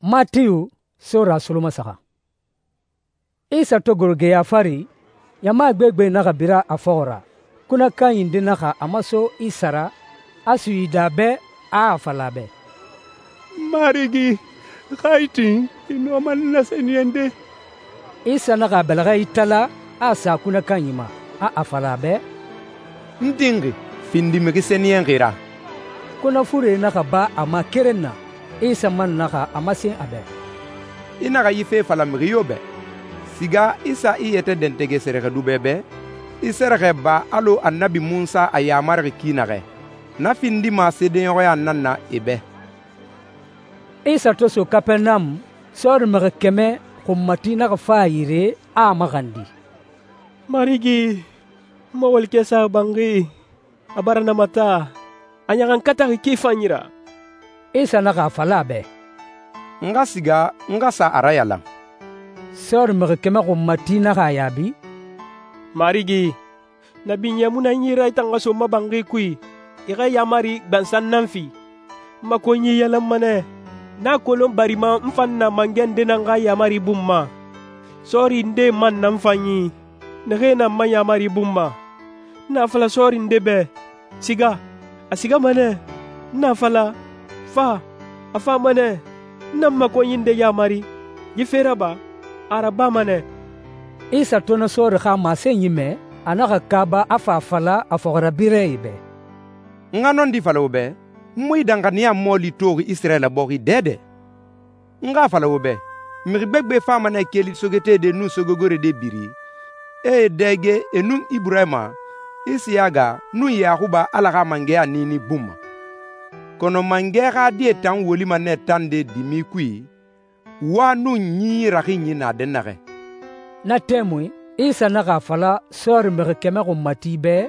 Matiyu sora solomasaxa. Isa to goro geya fari, ɲama gbegbe naxa bira a fɔxɔ ra. Kunɛ kanyi nde naxa a maso Isa ra, a suyidi a bɛ, a a fala a bɛ, «Marigi, xa i tin, i nɔma n nasɛniyɛnde.» Isa naxa a bɛlɛxɛ itala, a sa kunɛ kanyi ma, a a fala a bɛ, «N tinxi, findi mixi sɛniyɛnxi ra.» Kunɛ fure naxa ba a ma keren na. Isa man naxa a masen a bɛ, «I naxa yi fe fala mixi yo bɛ. Siga i sa i yɛtɛ dɛntɛgɛ sɛrɛxɛdubɛ bɛ, i sɛrɛxɛ ba alɔ Annabi Munsa a yamarixi ki naxɛ. Na findima seedeɲɔxɔya nan na e bɛ.» Isa to so Kapɛrɛnamu, sɔɔri mixi 100 xunmati naxa fa a yire, a maxandi, «Marigi, n ma walikɛ sa banxi, a bara na mata, a ɲaxankataxi ki fanyi ra.» Isa naxa a fala a bɛ, «N xa siga n xa sa a rayalan.» Sɔɔri mixi 100 xunmati naxa a yaabi, «Marigi, na binyɛ mu na n yi ra i tan xa so n ma banxi kui, i xa yamari gbansan nan fi. N ma konyi yalanma nɛ, n a kolon barima n fan na mangɛ nde nan xa yamari bun ma. Sɔɔri ndee man na n fan yi, naxee na n ma yamari bun ma. N na fala sɔɔri nde bɛ, siga, a sigama nɛ. N na fala, fa, a fama nɛ. N na n ma konyi nde yamari, yi fe raba, a rabama nɛ.» Isa to na sɔɔri xa masenyi mɛ, a naxa kaaba a fa a fala a fɔxirabirɛe bɛ, «N xa nɔndi fala wo bɛ, n mu yi danxaniya mɔɔli toxi Isirayila bɔxi dɛdɛ. N xa fala wo bɛ, mixi gbegbe fama nɛ keli sogetede nun sogegore de biri, e e dɛge e nun Iburahima, Isiyaga nun Yaxuba Ala xa mangɛya niini bun ma. Kɔnɔ mangɛ xa die tan wolima nɛ tan de dimi kui, wa nun ɲi raxinyi na dɛnnaxɛ.» Na tɛmui, Isa naxa a fala sɔɔri mixi 100 xunmati bɛ,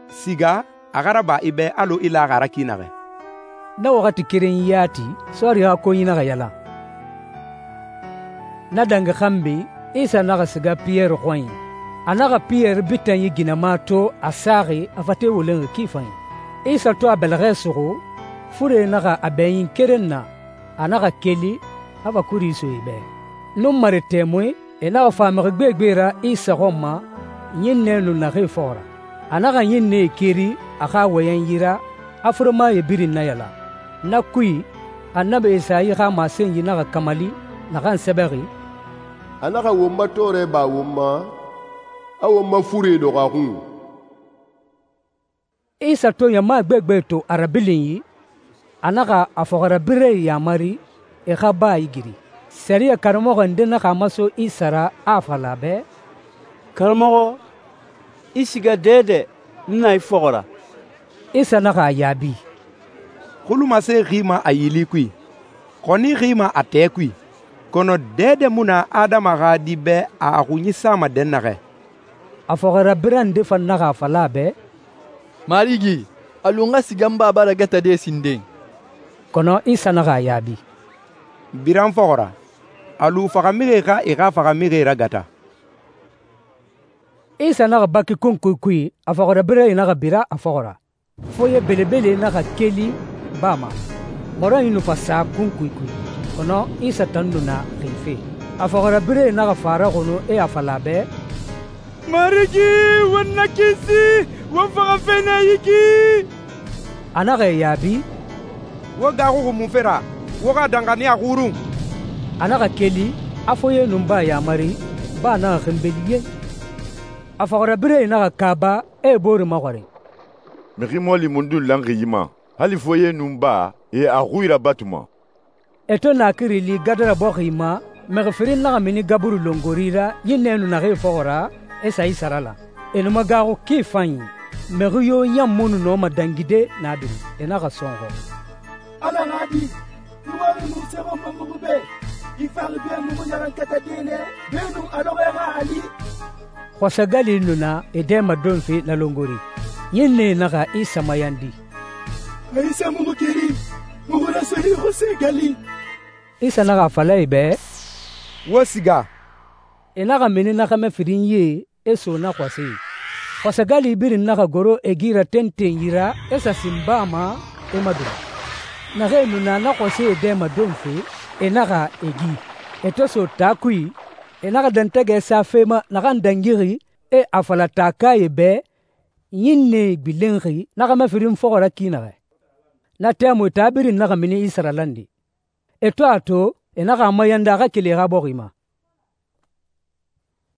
«Siga, a xa raba i bɛ alɔ i laxi a ra ki naxɛ.» Na waxati keren yati, sɔɔri xa konyi naxa yalan. Na dangi xanbi, Isa naxa siga Piyɛri xɔnyi. A naxa Piyɛri bitanyi ginɛma to a saxi a fate wolenxi ki fanyi. Isa to a bɛlɛxɛ suxu, fure naxa a bɛɲin keren na, a naxa keli, a fa kuri so e bɛ. Nunmare tɛmui, e naxa fa mixi gbegbe ra Isa xɔn ma, ɲinnɛ nu naxee fɔxɔ ra. A naxa ɲinnɛe keri a xa wɔyɛn yira, a furemaye birin nayalan. Na kui, Annabi Esayi xa masenyi naxa kamali, naxan sɛbɛxi, «A naxa won ma tɔɔrɛ ba won ma, a won ma fure dɔxɔ a xun.» Isa to ɲama gbegbe to a rabilinyi, a naxa a fɔxirabirɛe yamari e xa ba a igiri. Sɛriyɛ karamɔxɔ nde naxa a maso Isa ra, a fala a bɛ, «Karamɔxɔ, i siga dɛdɛ, n na i fɔxɔ ra.» Isa naxa a yaabi, «Xulumase xima a yili kui, xɔni xima a tɛ kui, kɔnɔ dɛdɛ mu na Adama xa Di bɛ a xunyi sama dɛnnaxɛ.» A fɔxirabirɛ nde fan naxa a fala a bɛ, «Marigi, a lu n xa siga n baba ragatade sinden.» Kɔnɔ Isa naxa a yaabi, «Bira n fɔxɔ ra, a lu faxamixie xa e xa faxamixie ragata.» Isa naxa baki kunkui kui, a fɔxirabirɛe naxa bira a fɔxɔ ra. Foye belebele naxa keli baa ma. Mɔrɔnyi nu fa sa kunkui kui, kɔnɔ Isa tan nu na xife. A fɔxirabirɛe naxa fa raxunu e a fala a bɛ, «Marigi, won na kisi, won faxa fe na yi ki.» A naxa e yaabi, «Wo gaaxuxi mun fe ra? Wo xa danxaniya xurun.» A naxa keli, a foye nun baa yamari, baa naxa xinbeli ye. A fɔxirabirɛe naxa kaaba, e e boore maxɔrin, «Mixi mɔɔli mundun lanxi yi ma, hali foye nun baa, e a xui rabatuma.» E to naakiri li Gadara bɔxi ma, mixi firin naxa mini gaburu longori ra ɲinnɛ nu naxee fɔxɔ ra, e sa Isa la. E nu ma gaaxu ki fanyi, mixi yo ɲan mu nu nɔma dangide na biri. E naxa sɔnxɔ, «Ala xa Di, i wari nu sɛxɔnma muxu bɛ, i faxi bɛ muxu ɲaxankatade nɛ, beenun a lɔxɔɛ xa ali.» Xɔsɛgali nu na e dɛma donfe na longori. Ɲinnɛe naxa Isa mayandi, «A Isa muxu keri, muxu na sɔhi xɔsɛgali.» Isa naxa a fala e bɛ, «Wo siga.» E naxa mini na xɛmɛ firin ye, e so na xɔse. Xɔsɛgali birin naxa goro e gira tentenyi ra, e sa sin baa ma, e madura. Naxee nu na na xɔsɛe dɛ madonfe, e naxa e gi. E to so taa kui, e naxa dɛntɛgɛ sa fe ma naxan dangixi, e a fala taakae bɛ ɲinnɛe gbilenxi na xɛmɛ firin fɔxɔ ra ki naxɛ. Na tɛmui taa birin naxa mini Isa ralande. E to a to, e naxa a mayandi a xa keli e xa bɔxi ma.